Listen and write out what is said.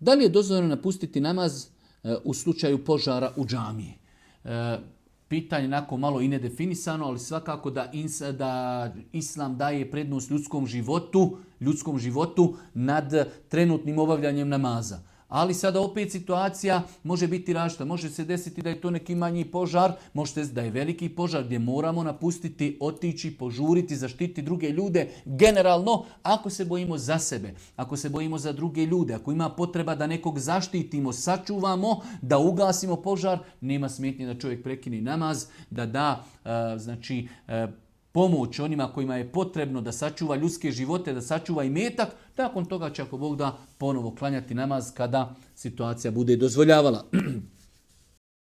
Da li je dozvoljeno napustiti namaz u slučaju požara u džamiji? Pitanje onako malo i nedefinisano, ali svakako da Islam daje prednost ljudskom životu nad trenutnim obavljanjem namaza. Ali sada opet situacija može biti različita. Može se desiti da je to neki manji požar, može se desiti da je veliki požar gdje moramo napustiti, otići, požuriti, zaštiti druge ljude. Generalno, ako se bojimo za sebe, ako se bojimo za druge ljude, ako ima potreba da nekog zaštitimo, sačuvamo, da ugasimo požar, nema smetnje da čovjek prekine namaz, da da pomoć onima kojima je potrebno da sačuva ljudske živote, da sačuva imetak, nakon toga će ako Bog da ponovo klanjati namaz kada situacija bude dozvoljavala.